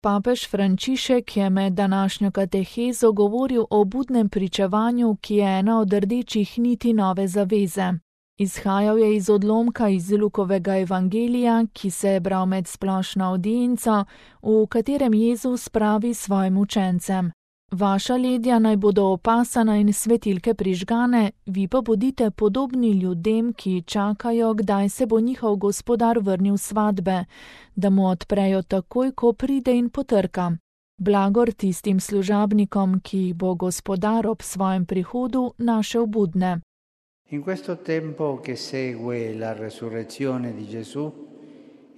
Papež Frančišek je med današnjo katehezo govoril o budnem pričevanju, ki je ena od rdečih niti nove zaveze. Izhajal je iz odlomka iz Lukovega evangelija, ki se je bral med splošno avdienco, v katerem Jezus pravi svojim učencem: Vaša ledja naj bodo opasana in svetilke prižgane, vi pa bodite podobni ljudem, ki čakajo, kdaj se bo njihov gospodar vrnil s svatbe, da mu odprejo takoj, ko pride in potrka. Blagor tistim služabnikom, ki jih bo gospodar ob svojem prihodu našel budne. In questo tempo che segue la resurrezione di Gesù,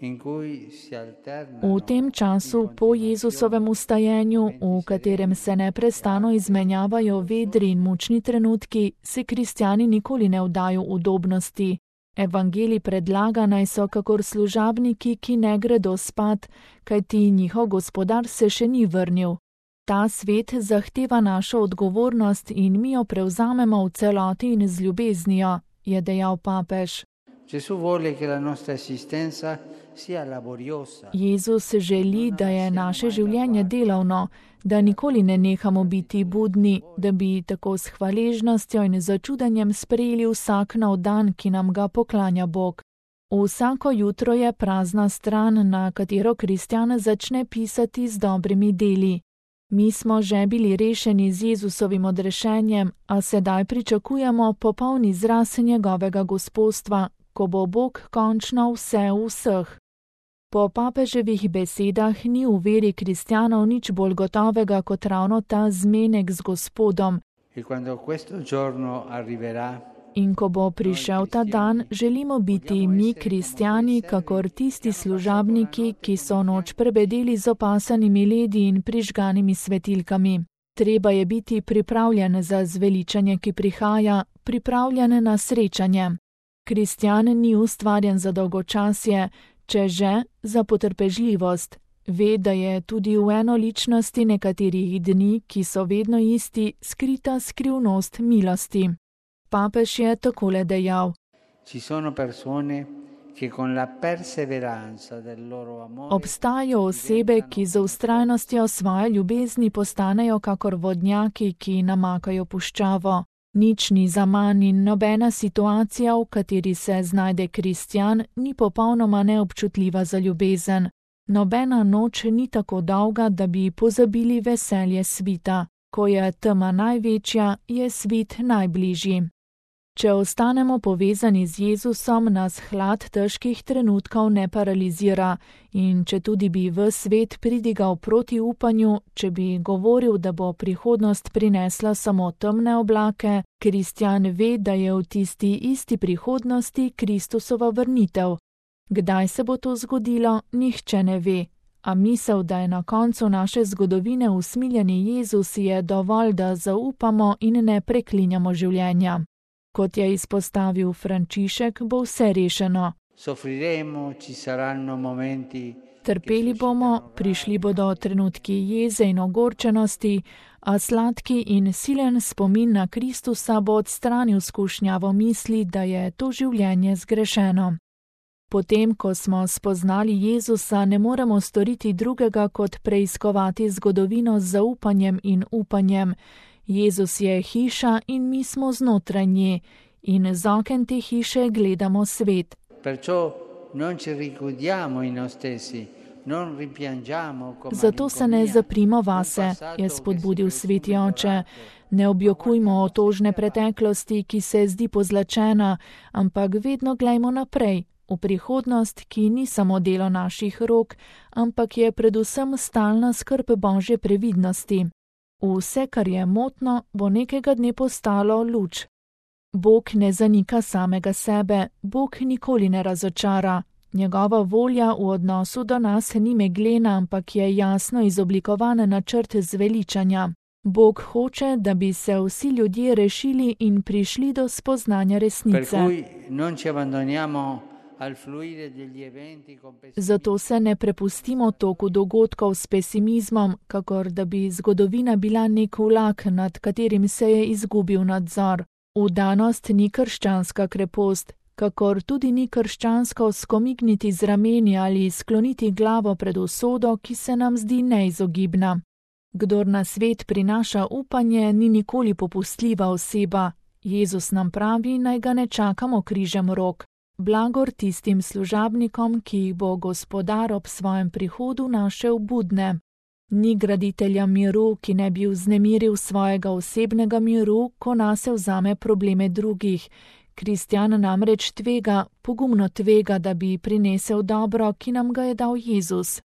in cui si alternano. V tem času po Jezusovem vstajenju, v katerem se neprestano izmenjavajo vedri in mučni trenutki, se kristjani nikoli ne vdajo udobnosti. Evangelij predlaga, naj so kakor služabniki, ki ne gredo spat, kajti njihov gospodar se še ni vrnil. Ta svet zahteva našo odgovornost in mi jo prevzamemo v celoti in z ljubeznijo, je dejal papež. Jezus želi, da je naše življenje delovno, da nikoli ne nehamo biti budni, da bi tako s hvaležnostjo in začudenjem sprejeli vsak nov dan, ki nam ga poklanja Bog. Vsako jutro je prazna stran, na katero kristjan začne pisati z dobrimi deli. Mi smo že bili rešeni z Jezusovim odrešenjem, a sedaj pričakujemo popoln izraz njegovega gospodstva, ko bo Bog končno vse v vseh. Po papeževih besedah ni v veri kristjanov nič bolj gotovega kot ravno ta zmenek z Gospodom. In ko bo prišel ta dan, želimo biti mi kristjani, kakor tisti služabniki, ki so noč prebedeli z opasanimi ledi in prižganimi svetilkami. Treba je biti pripravljen za zveličanje, ki prihaja, pripravljen na srečanje. Kristjan ni ustvarjen za dolgočasje, če že za potrpežljivost. Ve, da je tudi v enoličnosti nekaterih dni, ki so vedno isti, skrita skrivnost milosti. Papež je takole dejal: Obstajajo osebe, ki z vztrajnostjo svoje ljubezni postanejo kakor vodnjaki, ki namakajo puščavo. Nič ni zaman in nobena situacija, v kateri se znajde kristjan, ni popolnoma neobčutljiva za ljubezen. Nobena noč ni tako dolga, da bi pozabili veselje svita. Ko je tema največja, je svit najbližji. Če ostanemo povezani z Jezusom, nas hlad težkih trenutkov ne paralizira in če tudi bi v svet pridigal proti upanju, če bi govoril, da bo prihodnost prinesla samo temne oblake, kristjan ve, da je v tisti isti prihodnosti Kristusova vrnitev. Kdaj se bo to zgodilo, nihče ne ve, a misel, da je na koncu naše zgodovine usmiljeni Jezus, je dovolj, da zaupamo in ne preklinjamo življenja. Kot je izpostavil Frančišek, bo vse rešeno. Trpeli bomo, prišli bodo trenutki jeze in ogorčenosti, a sladki in silen spomin na Kristusa bo odstranil skušnjavo misli, da je to življenje zgrešeno. Potem, ko smo spoznali Jezusa, ne moremo storiti drugega, kot preiskovati zgodovino z zaupanjem in upanjem. Jezus je hiša in mi smo znotraj nje in z oken te hiše gledamo svet. Zato se ne zaprimo vase, je spodbudil sveti oče. Ne objokujmo otožne preteklosti, ki se zdi pozlačena, ampak vedno glejmo naprej, v prihodnost, ki ni samo delo naših rok, ampak je predvsem stalna skrb Božje previdnosti. Vse, kar je motno, bo nekega dne postalo luč. Bog ne zanika samega sebe, Bog nikoli ne razočara. Njegova volja v odnosu do nas ni meglena, ampak je jasno izoblikovan načrt zveličanja. Bog hoče, da bi se vsi ljudje rešili in prišli do spoznanja resnice. Zato se ne prepustimo toku dogodkov s pesimizmom, kakor da bi zgodovina bila nek vlak, nad katerim se je izgubil nadzor. Vdanost ni krščanska krepost, kakor tudi ni krščansko skomigniti z rameni ali skloniti glavo pred usodo, ki se nam zdi neizogibna. Kdor na svet prinaša upanje, ni nikoli popustljiva oseba. Jezus nam pravi, naj ga ne čakamo križem rok. Blagor tistim služabnikom, ki jih bo Gospodar ob svojem prihodu našel budne. Ni graditelja miru, ki ne bi vznemiril svojega osebnega miru, ko nase vzame probleme drugih. Kristjan namreč tvega, pogumno tvega, da bi prinesel dobro, ki nam ga je dal Jezus.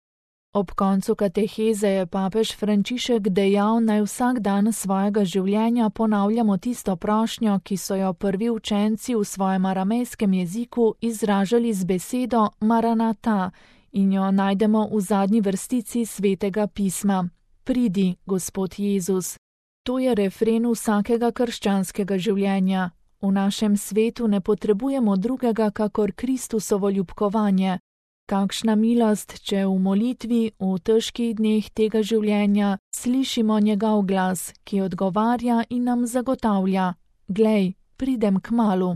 Ob koncu kateheze je papež Frančišek dejal, naj vsak dan svojega življenja ponavljamo tisto prošnjo, ki so jo prvi učenci v svojem aramejskem jeziku izražali z besedo Maranata in jo najdemo v zadnji vrstici Svetega pisma. Pridi, Gospod Jezus. To je refren vsakega krščanskega življenja. V našem svetu ne potrebujemo drugega kakor Kristusovo ljubkovanje. Kakšna milost, če v molitvi, v težkih dneh tega življenja, slišimo njegov glas, ki odgovarja in nam zagotavlja: Glej, pridem kmalu.